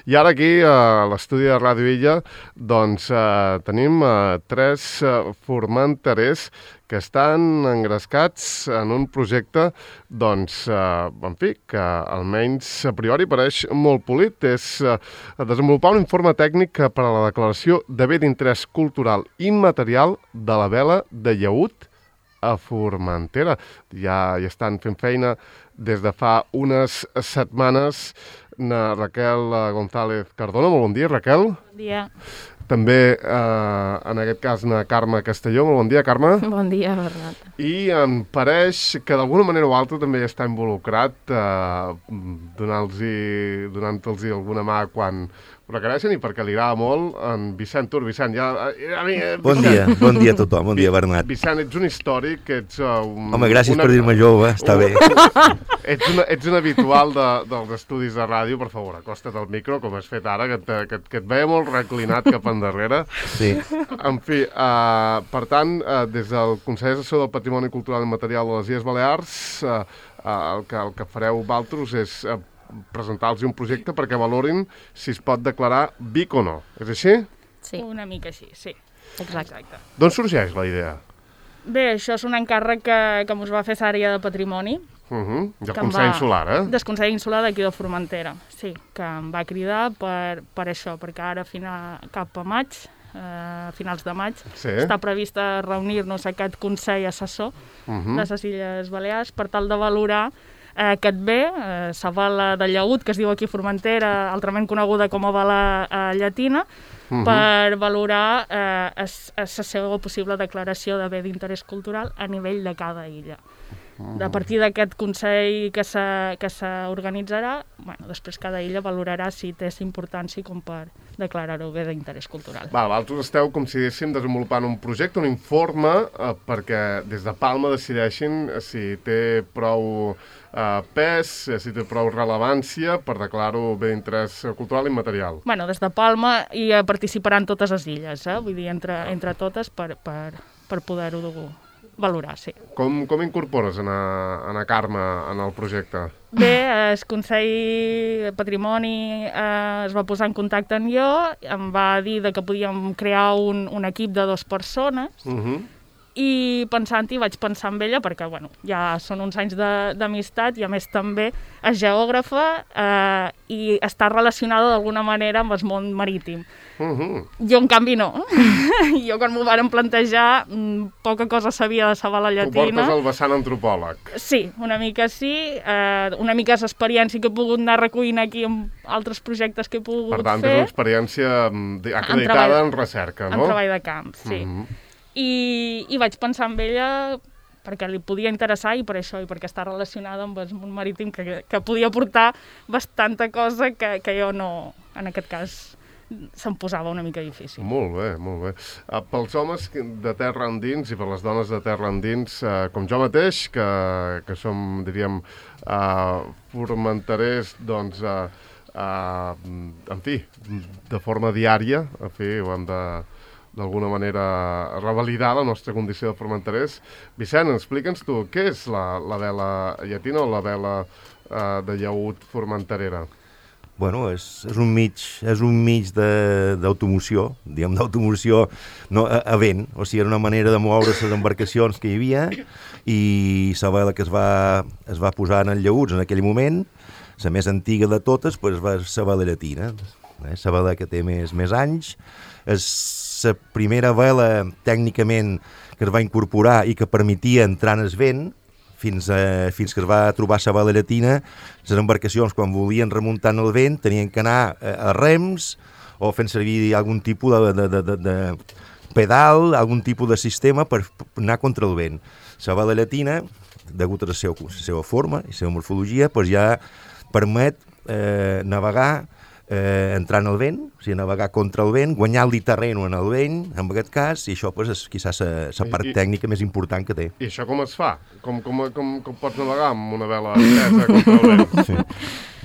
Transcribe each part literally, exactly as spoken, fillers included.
I ara aquí, a l'estudi de Ràdio Illa, doncs eh, tenim eh, tres eh, formenterers que estan engrescats en un projecte, doncs, eh, en fi, que almenys a priori pareix molt polit. És eh, desenvolupar un informe tècnic per a la declaració de bé d'interès cultural immaterial de la vela de llaüt a Formentera. Ja hi estan fent feina des de fa unes setmanes. Na Raquel González Cardona. Molt bon dia, Raquel. Bon dia. També, eh, en aquest cas, na Carme Castelló. Molt bon dia, Carme. Bon dia, Bernat. I em pareix que d'alguna manera o altra també està involucrat eh, donant-los donant-los alguna mà quan ho requereixen i perquè li agrada molt en Vicent Tur. Vicent, ja... A mi, eh, bon dia, bon dia a tothom, bon dia, Bernat. Vicent, ets un històric, ets... Uh, un, Home, gràcies una... per dir-me jove, està uh, bé. Ets, una, ets un habitual de, dels estudis de ràdio, per favor, acosta't al micro, com has fet ara, que, te, que, que et veia molt reclinat cap endarrere. Sí. En fi, uh, per tant, uh, des del Consell Assessor del Patrimoni Cultural i Material de les Illes Balears, uh, uh, el, que, el que fareu vosaltres és... Uh, presentar-los un projecte perquè valorin si es pot declarar B I C o no. És així? Sí. Una mica així, sí. Exacte. Exacte. D'on sorgeix la idea? Bé, això és un encàrrec que, que mos va fer l'àrea de Patrimoni. Uh -huh. Del Consell Insular, eh? Del Consell Insular d'aquí de Formentera, sí, que em va cridar per, per això, perquè ara final, cap a maig, a eh, finals de maig, sí. Està previst reunir-nos aquest Consell Assessor uh -huh. de les Illes Balears per tal de valorar Eh, aquest bé, eh, la vela de llaüt, que es diu aquí Formentera, altrament coneguda com a vela eh, llatina, uh -huh. per valorar eh, la seva possible declaració de bé d'interès cultural a nivell de cada illa. Uh -huh. A partir d'aquest Consell que s'organitzarà, bueno, després cada illa valorarà si té importància com per declarar-ho bé d'interès cultural. Val, vosaltres esteu, com si diguéssim, desenvolupant un projecte, un informe, eh, perquè des de Palma decideixin si té prou eh, pes, si té prou rellevància per declarar-ho bé d'interès cultural i immaterial. Bueno, des de Palma hi participaran totes les illes, eh? Vull dir, entre, entre totes per, per, per poder-ho valorar, sí. Com, com incorpores en a, en a Carme en el projecte? Bé, el Consell Patrimoni eh, es va posar en contacte amb jo, em va dir que podíem crear un, un equip de dues persones, uh-huh. i pensant-hi vaig pensar en ella perquè, bueno, ja són uns anys d'amistat i a més també és geògrafa eh, i està relacionada d'alguna manera amb el món marítim. Uh-huh. Jo, en canvi, no. Jo, quan m'ho varen plantejar, poca cosa sabia de la vela llatina. Tu portes el vessant antropòleg. Sí, una mica sí. Eh, una mica és l'experiència que he pogut anar recollint aquí amb altres projectes que he pogut fer. Per tant, fer. És una experiència acreditada en, en recerca, no? En treball de camp, sí. Uh-huh. I, i vaig pensar en ella perquè li podia interessar i per això, i perquè està relacionada amb el món marítim, que, que podia portar bastanta cosa que, que jo no, en aquest cas, se'm posava una mica difícil. Molt bé, molt bé. Uh, pels homes de terra endins i per les dones de terra endins, uh, com jo mateix, que, que som, diríem, uh, formenterers, doncs, uh, uh, en fi, de forma diària, en fi, ho hem de d'alguna manera revalidar la nostra condició de formenterers. Vicent, explica'ns tu, què és la, la vela llatina o la vela uh, de llaüt formenterera? Bueno, és, és un mig, és un mig d'automoció, diguem, d'automoció no, a, a vent, o sigui, era una manera de moure les embarcacions que hi havia i la vela que es va, es va posar en el llaüts en aquell moment, la més antiga de totes, pues, va ser la vela llatina, eh? La vela que té més, més anys, és la primera vela tècnicament que es va incorporar i que permetia entrar en el vent, fins, a, fins que es va trobar la vela llatina, les embarcacions, quan volien remuntar en el vent, tenien que anar a, a rems o fent servir algun tipus de, de, de, de, de pedal, algun tipus de sistema per anar contra el vent. La vela llatina, degut a la seva, la seva forma i la seva morfologia, doncs ja permet eh, navegar Eh, entrar en el vent, o sigui, navegar contra el vent, guanyar-li terreno en el vent, en aquest cas, i això pues, és quizás la part I, tècnica més important que té. I això com es fa? Com, com, com, com pots navegar amb una vela dreta contra el vent? Sí.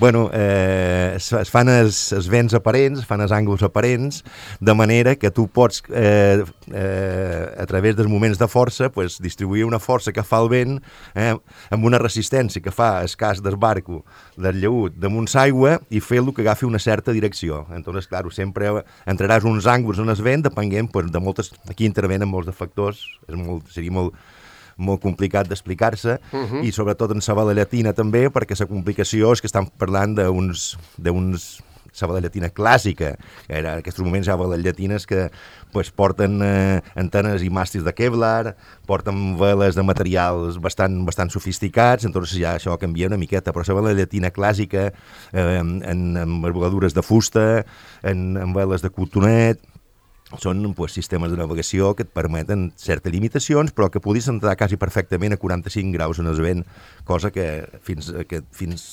Bueno, eh, es, es fan els, els vents aparents, es fan els ànguls aparents, de manera que tu pots, eh, eh, a través dels moments de força, pues, distribuir una força que fa el vent eh, amb una resistència que fa el cas del barco, del llaüt, damunt l'aigua, i fer-lo que agafi una certa certa direcció. Entonces, clar, sempre entraràs uns ànguls on es ven, depenent pues, de moltes... Aquí intervenen molts de factors, és molt, seria molt, molt complicat d'explicar-se, uh-huh. i sobretot en la bala llatina també, perquè la complicació és que estan parlant d'uns... d'uns la bala llatina clàssica, que era, en aquests moments hi ha bales llatines que pues, porten eh, antenes i màstils de Kevlar, porten veles de materials bastant, bastant sofisticats, entonces ja això canvia una miqueta, però la bala llatina clàssica, eh, en, en envergadures de fusta, en, en veles de cotonet, són pues, sistemes de navegació que et permeten certes limitacions, però que podries entrar quasi perfectament a quaranta-cinc graus en el vent, cosa que fins que, fins,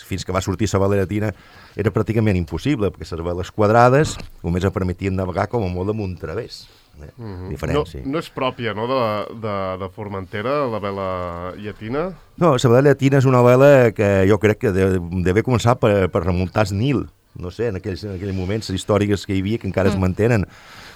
fins que va sortir la bala llatina era pràcticament impossible, perquè les veles quadrades només em permetien navegar com a molt amunt través. Eh? Mm-hmm. Diferent, no, sí. no és pròpia, no?, de, de, de Formentera, la vela llatina? No, la vela llatina és una vela que jo crec que deve començar per, per remuntar el Nil. No sé, en aquells, en aquells moments històrics que hi havia, que encara mm. es mantenen,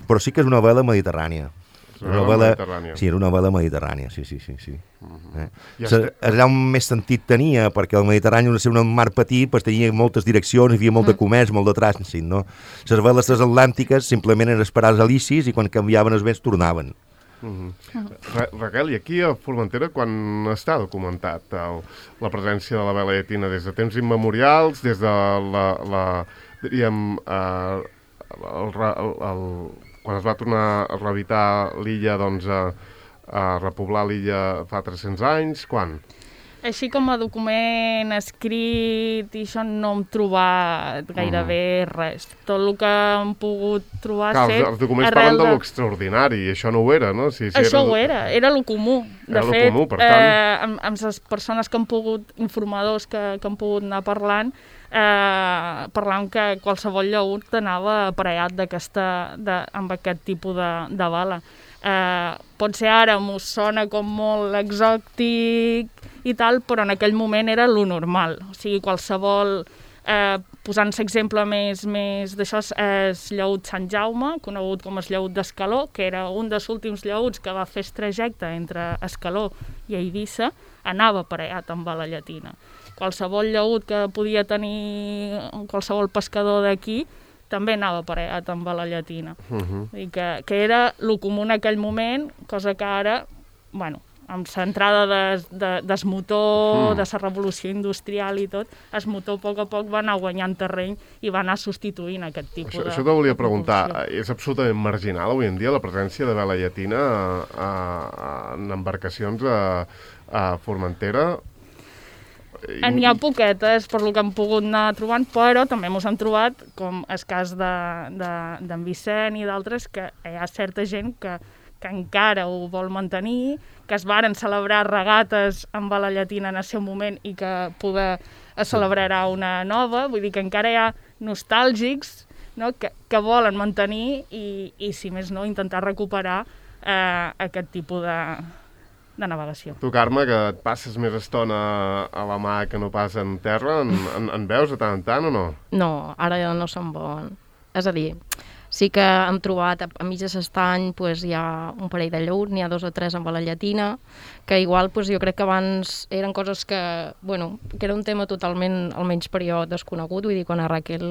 però sí que és una vela mediterrània. És una vela mediterrània. Sí, era una vela mediterrània, sí, sí, sí. sí. Mm-hmm. eh? Ja Se, allà on més sentit tenia, perquè el Mediterrani, al ser un mar petit, pues, tenia moltes direccions, hi havia molt de comerç, molt de trànsit, no? Les veles transatlàntiques simplement eren esperar els alicis i quan canviaven els vents tornaven. Mm-hmm. Ra Raquel, i aquí a Formentera quan està documentat el, la presència de la vela llatina? Des de temps immemorials, des de la, la diríem, eh, el, el, el, quan es va tornar a rehabitar l'illa, doncs, a, a repoblar l'illa fa tres-cents anys, quan? Així com a document escrit i això no hem trobat gairebé mm. res. Tot el que hem pogut trobar Clar, fet... Els documents parlen de, de l'extraordinari i això no ho era, no? Si, si això era... ho era, era lo comú. De era fet, comú, per tant... eh, amb, amb les persones que han pogut, informadors que, que han pogut anar parlant, eh, parlant que qualsevol llaüt anava aparellat d'aquesta, de, amb aquest tipus de, de bala. Eh, pot ser ara m'ho sona com molt exòtic i tal, però en aquell moment era lo normal. O sigui, qualsevol, eh, posant-se exemple més, més d'això, és llaüt Sant Jaume, conegut com el llaüt d'Escaló, que era un dels últims llaüts que va fer el trajecte entre Escaló i Eivissa, anava aparellat amb bala llatina. Qualsevol llaüt que podia tenir qualsevol pescador d'aquí també anava aparellat amb bala llatina. Uh-huh. I que, que era lo comú en aquell moment, cosa que ara, bueno, amb l'entrada des, de, des motor, uh-huh. de la revolució industrial i tot, el motor a poc a poc va anar guanyant terreny i va anar substituint aquest tipus això, de... Això te volia preguntar, és absolutament marginal avui en dia la presència de vela llatina a, a, a, en embarcacions a, a Formentera? N'hi ha poquetes, per lo que hem pogut anar trobant, però també ens hem trobat, com el cas d'en de, de, Vicent i d'altres, que hi ha certa gent que, que encara ho vol mantenir, que es varen celebrar regates amb bala llatina en el seu moment i que poder es celebrarà una nova, vull dir que encara hi ha nostàlgics, no?, que, que volen mantenir i, i, si més no, intentar recuperar eh, aquest tipus de... de navegació. Tu, Carme, que et passes més estona a la mà que no pas en terra, en, en, en veus de tant en tant o no? No, ara ja no se'n veuen. És a dir, sí que hem trobat a, a mig de l'estany pues, hi ha un parell de llaüts, n'hi ha dos o tres amb bala llatina, que igual pues, jo crec que abans eren coses que, bueno, que era un tema totalment, almenys per jo, desconegut. Vull dir, quan a Raquel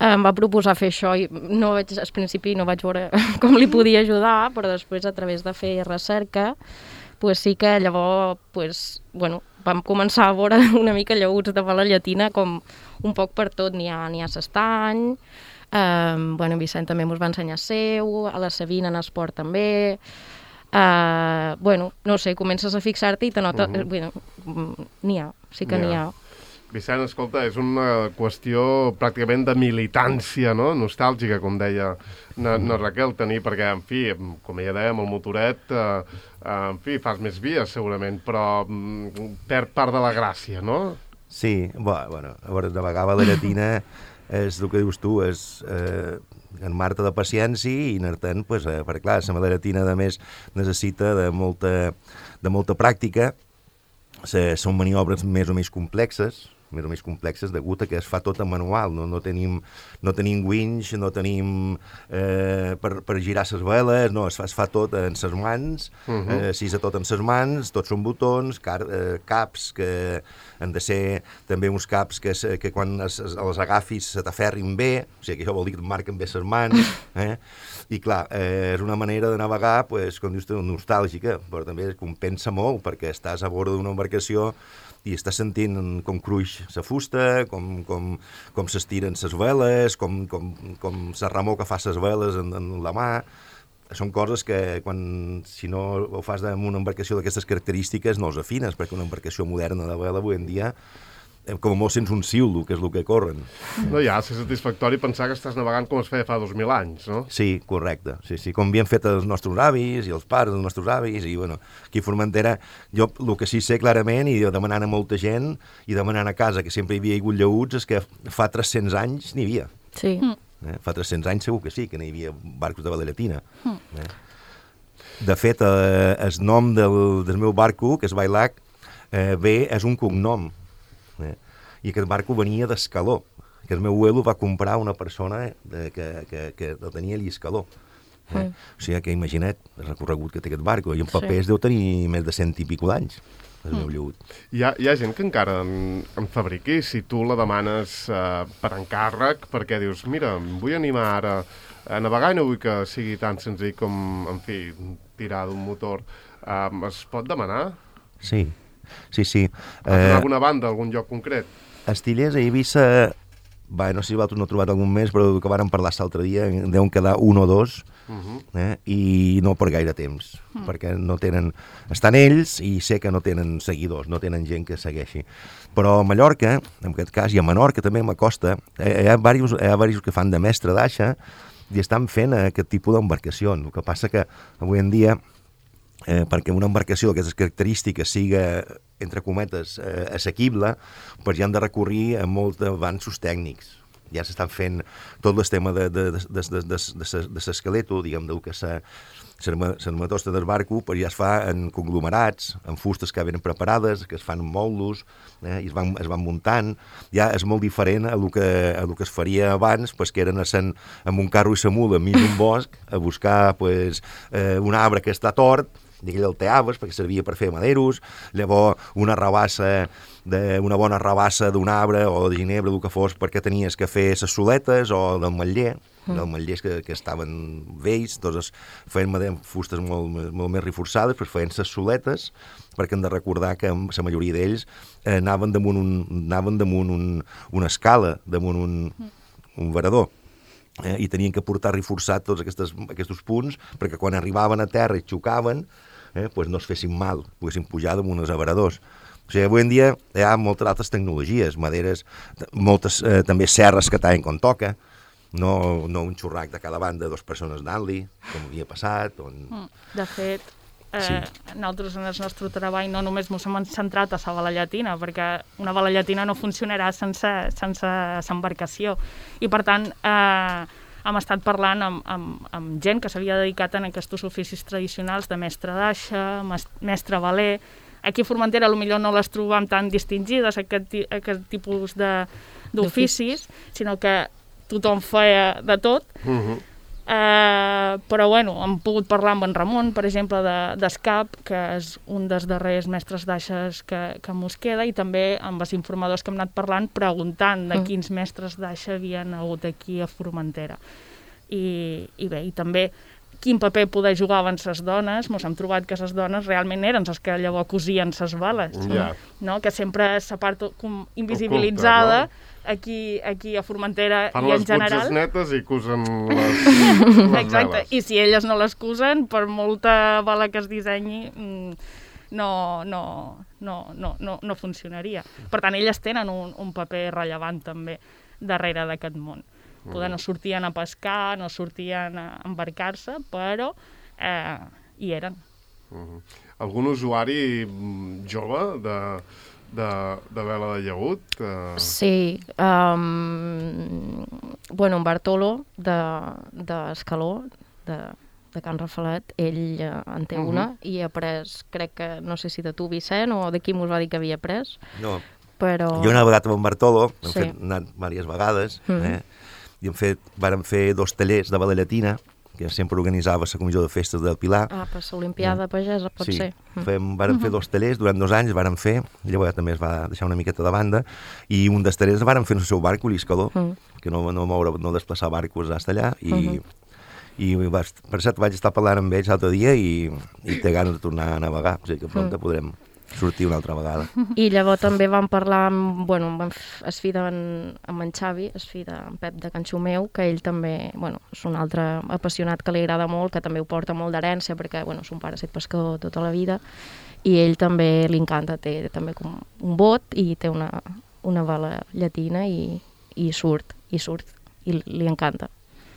em va proposar fer això i no vaig, al principi no vaig veure com li podia ajudar, però després a través de fer recerca pues sí que llavors pues, bueno, vam començar a veure una mica llaüts de bala llatina com un poc per tot. N'hi ha, n'hi ha l'estany, eh, bueno, en Vicent també ens va ensenyar seu, a la Sabina en esport també, eh, bueno, no sé, comences a fixar-te i te nota, uh-huh. bueno, n'hi ha, sí que n'hi ha. Vicent, escolta, és una qüestió pràcticament de militància, no?, nostàlgica, com deia na, na Raquel, tenir, perquè, en fi, com ja dèiem, el motoret, eh, en fi, fas més vies, segurament, però mm, perd part de la gràcia, no? Sí, bueno, a veure, de vegada la llatina és el que dius tu, és eh, en Marta de paciència i anar-te'n, pues, eh, perquè, clar, la vela llatina, a més, necessita de molta, de molta pràctica, se, són maniobres més o menys complexes, més o més complexes, degut a que es fa tot en manual, no, no tenim, no tenim winch, no tenim eh, per, per girar les veles, no, es fa, es fa tot en ses mans, uh -huh. eh, s'isa tot en ses mans, tots són botons, car, eh, caps que han de ser també uns caps que, que quan es, es, els agafis se t'aferrin bé, o sigui que això vol dir que et marquen bé les mans, eh? I clar, eh, és una manera de navegar, pues, com dius tu, nostàlgica, però també compensa molt, perquè estàs a bord d'una embarcació i estàs sentint com cruix la fusta, com, com, com s'estiren les veles, com, com, com la remor que fa les veles en, en la mà. Són coses que, quan, si no ho fas amb una embarcació d'aquestes característiques, no els afines, perquè una embarcació moderna de vela avui en dia, com a molt sents un siulo, que és el que corren. No hi ha de ser satisfactori pensar que estàs navegant com es feia fa dos mil anys, no? Sí, correcte. Sí, sí, com havien fet els nostres avis i els pares dels nostres avis, i bueno, aquí a Formentera, jo el que sí sé clarament, i demanant a molta gent, i demanant a casa, que sempre hi havia hagut llaüts, és que fa tres-cents anys n'hi havia. Sí. Eh? Fa tres-cents anys segur que sí, que n'hi havia barcos de vela llatina. Eh? De fet, eh, el nom del, del meu barco, que és Bailac, eh, bé, és un cognom. Eh? I aquest barco venia d'Escaló, que el meu abuelo va comprar una persona eh, que, que, que el tenia allà a Escaló. Eh? Mm. O sigui que imagina't el recorregut que té aquest barco, i en papers sí. deu tenir més de cent i pico d'anys. El meu llaüt. Hi ha, hi ha gent que encara en, en fabriqui, si tu la demanes uh, per encàrrec, perquè dius, mira, em vull animar ara a navegar i no vull que sigui tan senzill com, en fi, tirar d'un motor. Uh, es pot demanar? Sí, sí, sí. A uh, alguna banda, algun lloc concret? Estillers a Eivissa, va, no sé si vosaltres no heu trobat algun més, però que vàrem parlar l'altre dia, deuen quedar un o dos, uh-huh. eh? I no per gaire temps, uh-huh. perquè no tenen... Estan ells i sé que no tenen seguidors, no tenen gent que segueixi. Però a Mallorca, en aquest cas, i a Menorca també, a Macosta, eh, hi ha diversos, hi ha diversos que fan de mestre d'aixa i estan fent aquest tipus d'embarcacions. El que passa que avui en dia, eh, perquè una embarcació d'aquestes característiques siga, entre cometes, eh, assequible, doncs ja han de recurrir a molts avanços tècnics. Ja s'estan fent tot el tema de, de, de, de, de, de, de, de l'esqueleto, diguem, del que s'ha l'armatosta del barco, però ja es fa en conglomerats, en fustes que venen preparades, que es fan en mòduls, eh, i es van, es van muntant. Ja és molt diferent a el que, a el que es faria abans, pues, que eren a sen, amb un carro i sa mula enmig d'un bosc a buscar pues, eh, un arbre que està tort, i aquell el teaves perquè servia per fer maderos, llavors una rabassa, de, una bona rabassa d'un arbre o de ginebra, el que fos, perquè tenies que fer ses soletes o del matller, mm. dels matllers que, que estaven vells, doncs feien fustes molt, molt més reforçades, però feien ses soletes, perquè hem de recordar que la majoria d'ells eh, anaven damunt, un, anaven damunt un, una escala, damunt un, un varador. Eh, i tenien que portar reforçat tots aquestes, aquests punts perquè quan arribaven a terra i xocaven eh, pues no es fessin mal, poguessin pujar damunt els avaradors. O sigui, avui en dia hi ha moltes altres tecnologies, maderes, moltes eh, també serres que tallen quan toca, no, no un xurrac de cada banda, dues persones anant-li, com havia passat. On... De fet, eh, sí. nosaltres en el nostre treball no només ens hem centrat a la vela llatina, perquè una vela llatina no funcionarà sense, sense l'embarcació. I per tant, eh, hem estat parlant amb, amb, amb gent que s'havia dedicat en aquests oficis tradicionals de mestre d'aixa, mestre veler. Aquí a Formentera potser no les trobam tan distingides, aquest, aquest tipus d'oficis, sinó que tothom feia de tot. Uh-huh. eh, però bueno, hem pogut parlar amb en Ramon, per exemple, d'Escap, de, que és un dels darrers mestres d'aixes que, que mos queda, i també amb els informadors que hem anat parlant, preguntant de quins mestres d'aixa havien hagut aquí a Formentera. I, i bé, i també quin paper poder jugaven les dones, ens hem trobat que les dones realment eren les que llavors cosien les bales, yeah. no? Que sempre és la part invisibilitzada, oculta, no? aquí, aquí a Formentera fan i en general. Fan les netes i cosen les, les Exacte, veles. I si elles no les cosen, per molta bala que es dissenyi, no, no, no, no, no, no funcionaria. Per tant, elles tenen un, un paper rellevant també darrere d'aquest món. Poder no sortien a pescar, no sortien a embarcar-se, però eh, hi eren. Uh-huh. Algun usuari jove de, de, de vela de llaüt? Uh... Sí. Um, bueno, en Bartolo, d'Escaló, de, de Can Rafalet, ell uh, en té uh-huh. una, i ha pres, crec que, no sé si de tu, Vicent, o de qui mos va dir que havia pres. No. però... Jo una vegada amb Bartolo, hem Sí. fet anat diverses vegades, Mm. eh? i hem fet, vàrem fer dos tallers de bala llatina, que sempre organitzava la comissió de festes del Pilar. Ah, per l'Olimpiada Pagesa pot Sí, ser. Mm. fem, vàrem fer dos tallers, durant dos anys vàrem fer, llavors també es va deixar una miqueta de banda, i un dels tallers vàrem fer en el seu barco, l'Iscador, Mm. que no, no moure, no desplaçar barcos hasta allà, i, Mhm. i va, per cert vaig estar parlant amb ells l'altre dia i, i té ganes de tornar a navegar, o sigui que pront Mm. podrem sortir una altra vegada. I llavors també vam parlar amb, bueno, amb es fi d'en, amb en Xavi, es fi d'en Pep de Can Xumeu, que ell també, bueno, és un altre apassionat que li agrada molt, que també ho porta molt d'herència, perquè, bueno, son pare ha estat pescador tota la vida, i ell també li encanta, té també com un bot i té una, una bala llatina i, i surt, i surt, i li encanta.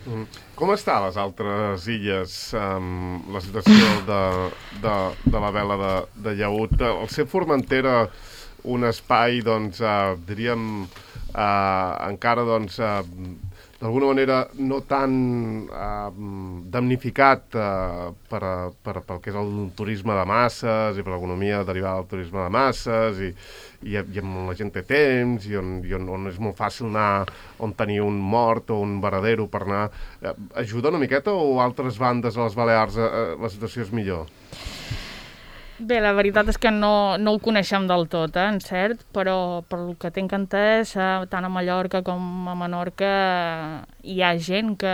Mm. Com està a les altres illes um, la situació de, de, de la vela de, de llaüt? El ser Formentera un espai, doncs, uh, diríem, uh, encara, doncs, uh, d'alguna manera no tan uh, damnificat uh, per, a, per, pel que és el turisme de masses i per l'economia derivada del turisme de masses i, i, i on la gent té temps i, on, i on, on és molt fàcil anar on tenir un mort o un varadero per anar. Uh, ajuda una miqueta o altres bandes a les Balears uh, la situació és millor? Bé, la veritat és que no, no ho coneixem del tot, eh, en cert, però per el que tinc entès, eh, tant a Mallorca com a Menorca hi ha gent que...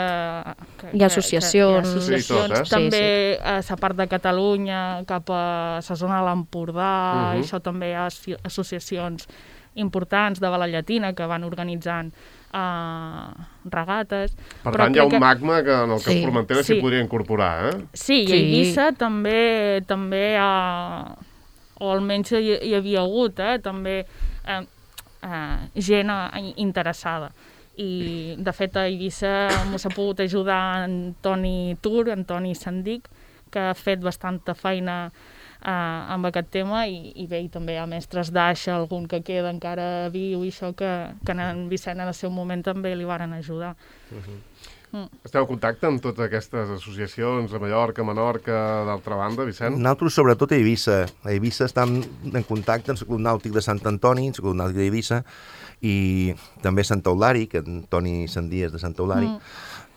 que Hi ha associacions. Que, que hi ha associacions. Sí, tot, eh? També Sí, sí. a la part de Catalunya, cap a la zona de l'Empordà, Uh-huh. i això també hi ha asso- associacions importants de bala llatina que van organitzant uh, regates. Per Però tant, hi ha crec un que- magma que en el que Sí. Formentera s'hi Sí. podria incorporar, eh? Sí, i Sí. a Eivissa també, també ha, o almenys hi, hi havia hagut, eh, també eh, eh, gent eh, interessada. I, de fet, a Eivissa m'ho s'ha pogut ajudar en Toni Tur, en Toni Sandic, que ha fet bastanta feina eh, amb aquest tema, i, i bé, i també hi ha mestres d'aixa, algun que queda encara viu, i això que, que en Vicent en el seu moment també li varen ajudar. Esteu en contacte amb totes aquestes associacions, a Mallorca, a Menorca, d'altra banda, Vicent? Nosaltres, sobretot a Eivissa. A Eivissa estem en contacte amb el Club Nàutic de Sant Antoni, el Club Nàutic d'Eivissa, i també Sant Eulari, que en Toni Sandí és de Sant Eulari, mm.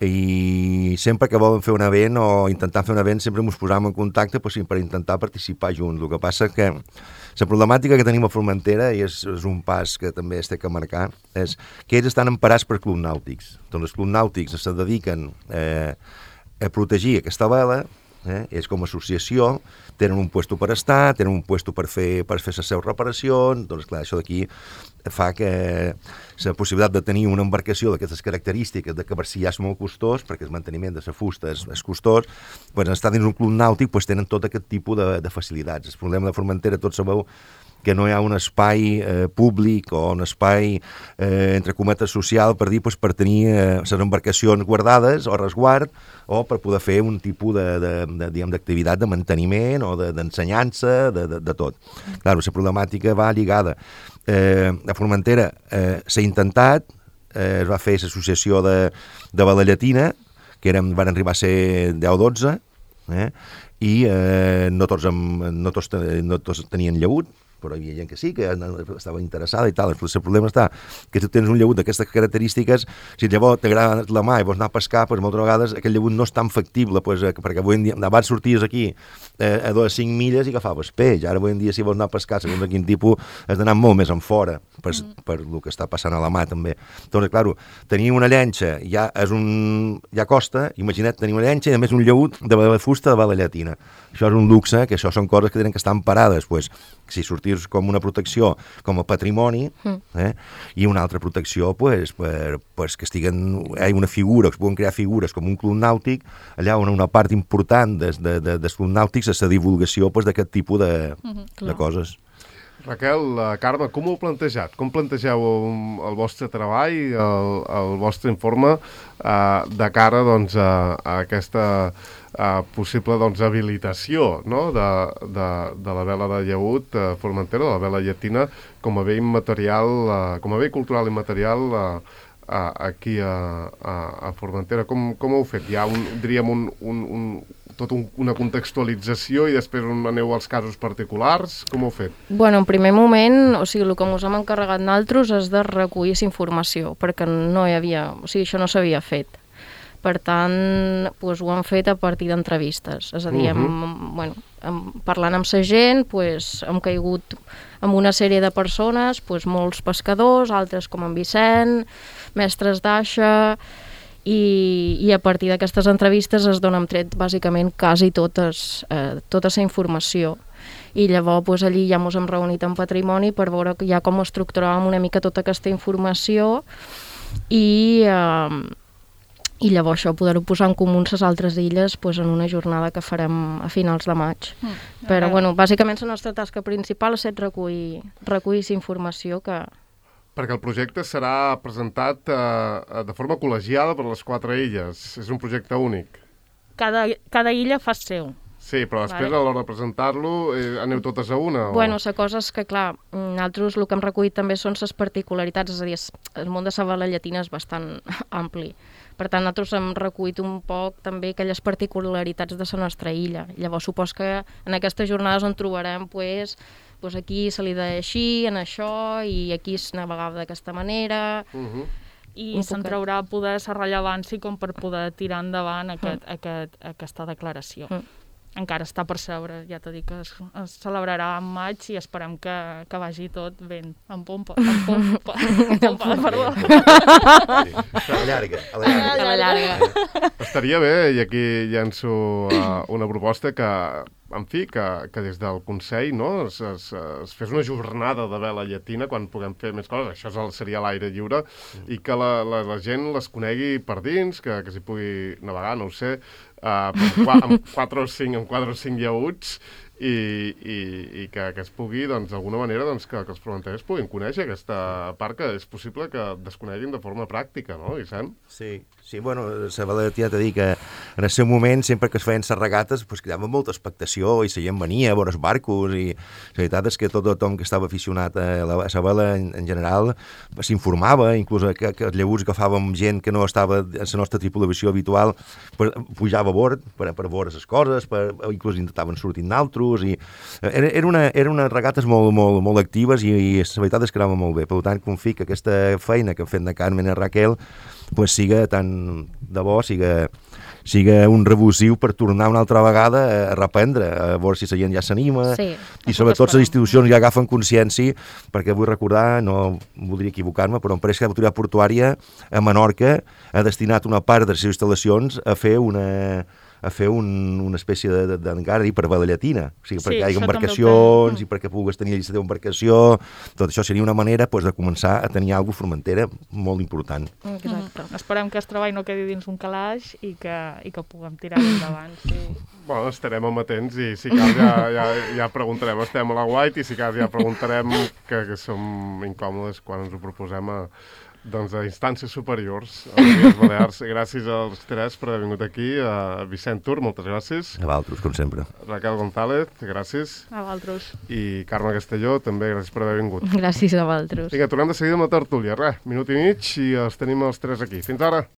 i sempre que volen fer un event o intentar fer un event sempre ens posàvem en contacte pues, per intentar participar junts. El que passa que la problemàtica que tenim a Formentera, i és, és un pas que també es té que marcar, és que ells estan emparats per clubs nàutics. Doncs els clubs nàutics se dediquen eh, a protegir aquesta vela, eh? És com a associació, tenen un puesto per estar, tenen un puesto per fer, per fer les seves reparacions, doncs clar, això d'aquí fa que la possibilitat de tenir una embarcació d'aquestes característiques, de que per si ja és molt costós, perquè el manteniment de la fusta és, és costós, doncs estar dins un club nàutic doncs tenen tot aquest tipus de, de facilitats. El problema de Formentera, tots sabeu que no hi ha un espai eh, públic o un espai, eh, entre cometes, social per dir, doncs, per tenir eh, les embarcacions guardades o resguard o per poder fer un tipus de, de, de, diguem, d'activitat de manteniment o de, d'ensenyança, de, de, de tot. Clar, la problemàtica va lligada. Eh, a Formentera eh, s'ha intentat, eh, es va fer l'associació de, de bala llatina, que érem, van arribar a ser deu o dotze, eh, i eh, no, tots amb, no, tots, no tots tenien llaüt, però hi havia gent que sí, que estava interessada i tal. El problema està que si tu tens un llaüt d'aquestes característiques, si llavors t'agrada la mà i vols anar a pescar, doncs moltes vegades aquest llaüt no és tan factible, doncs, perquè avui en dia, abans sorties aquí eh, a dues cinc milles i agafaves peix. Ara avui en dia si vols anar a pescar, segons de quin tipus, has d'anar molt més en fora, per, mm. per el que està passant a la mà també. Doncs, clar, tenir una llenxa ja, és un, ja costa, imagina't tenir una llenxa i a més un llaüt de la fusta de bala llatina. Això és un luxe, que això són coses que tenen que estar emparades, doncs, si sortirs com una protecció, com a patrimoni, eh, i una altra protecció, pues, per, pues, que estiguen, hi ha una figura, que es poden crear figures com un club nàutic, allà on una part important des, de, de, dels clubs nàutics és la divulgació pues, d'aquest tipus de, uh-huh, de coses. Raquel, uh, Carme, com ho heu plantejat? Com plantegeu el, el vostre treball, el, el vostre informe uh, de cara doncs, a, a aquesta uh, possible doncs, habilitació, no? de, de, de la vela de llaüt uh, Formentera, de la vela llatina, com a bé immaterial, uh, com a bé cultural immaterial uh, uh, aquí a, a, a Formentera. Com, com ho heu fet? Hi ha un, diríem, un, un, un, tot un, una contextualització i després on aneu als casos particulars? Com ho heu fet? Bueno, en primer moment, o sigui, el que ens hem encarregat nosaltres és de recollir informació, perquè no hi havia, o sigui, això no s'havia fet. Per tant, doncs, ho hem fet a partir d'entrevistes, és a dir, hem, uh-huh. bueno, hem, parlant amb la gent, doncs, hem caigut amb una sèrie de persones, doncs, molts pescadors, altres com en Vicent, mestres d'aixa, I, i a partir d'aquestes entrevistes es donen tret bàsicament quasi totes, eh, tota la informació. I llavors pues, allí ja ens hem reunit en Patrimoni per veure ja com estructuràvem una mica tota aquesta informació i, eh, i llavors això poder-ho posar en comú les altres illes pues, en una jornada que farem a finals de maig. Mm, Però bueno, bàsicament la nostra tasca principal és recollir, recollir informació que... Perquè el projecte serà presentat eh, de forma col·legiada per les quatre illes. És un projecte únic. Cada, cada illa fa seu. Sí, però després vale. A l'hora de presentar-lo eh, aneu totes a una? O... Bueno, la cosa és que, clar, nosaltres el que hem recollit també són les particularitats, és a dir, el món de la bala llatina és bastant ampli. Per tant, nosaltres hem recollit un poc també aquelles particularitats de la nostra illa. Llavors, supos que en aquestes jornades on trobarem, pues, pues aquí se li deia així, en això, i aquí es navegava d'aquesta manera... Uh-huh. I se'n traurà poder la rellevància com per poder tirar endavant aquest, mm. aquest, aquesta declaració. Mm. Encara està per seure, ja t'he dit que es, es celebrarà en maig i esperem que, que vagi tot ben en pompa. En pompa, en pompa, perdó. Sí. A la llarga. A la llarga. A la llarga. Estaria bé, i aquí llenço uh, una proposta que, en fi, que, que des del Consell no, es, es, es fes una jornada de vela llatina quan puguem fer més coses. Això és el, seria l'aire lliure mm. i que la, la, la gent les conegui per dins, que, que s'hi pugui navegar, no ho sé, Uh, amb quatre o cinc, amb quatre o cinc llauts i, i, i que, que es pugui, doncs, d'alguna manera, doncs, que, que els fronterers puguin conèixer aquesta part que és possible que desconeguin de forma pràctica, no, Vicent? Sí, sí, bueno, la veritat ja t'he dit que en el seu moment, sempre que es feien les regates, pues, cridava molta expectació i la gent venia a veure els barcos i la veritat és que tot tothom que estava aficionat a la, a la vela en, en general s'informava, inclús que, que els llaguts agafàvem gent que no estava en la nostra tripulació habitual, pues, pujava a bord per, per veure les coses, per, inclús intentaven sortir naltros, i era, era, una, era unes regates molt, molt, molt actives i, i la veritat és que anava molt bé. Per tant, confio que aquesta feina que hem fet de Carmen i Raquel pues, siga tan de bo, siga, siga un revulsiu per tornar una altra vegada a reprendre, a veure si la gent ja s'anima, sí, i sobretot les institucions ja agafen consciència, perquè vull recordar, no voldria equivocar-me, però l'empresa l'autoritat portuària a Menorca ha destinat una part de les seves instal·lacions a fer una... a fer un, una espècie d'encara per vela llatina, o sigui, perquè sí, hi hagi embarcacions i perquè pugues tenir llista d'embarcació, tot això seria una manera pues, de començar a tenir alguna cosa formentera molt important. Exacte. Mm. Esperem que el treball no quedi dins un calaix i que, i que puguem tirar endavant. Sí. Bueno, estarem amatents i si cal ja, ja, ja preguntarem, estem a la White i si cal ja preguntarem que, que som incòmodes quan ens ho proposem a doncs a instàncies superiors a les Illes Balears. Gràcies als tres per haver vingut aquí. A Vicent Tur, moltes gràcies. A vosaltres, com sempre. Raquel González, gràcies. A vosaltres. I Carme Castelló, també gràcies per haver vingut. Gràcies a vosaltres. Vinga, tornem de seguida amb la tertúlia. Res, minut i mig i els tenim els tres aquí. Fins ara.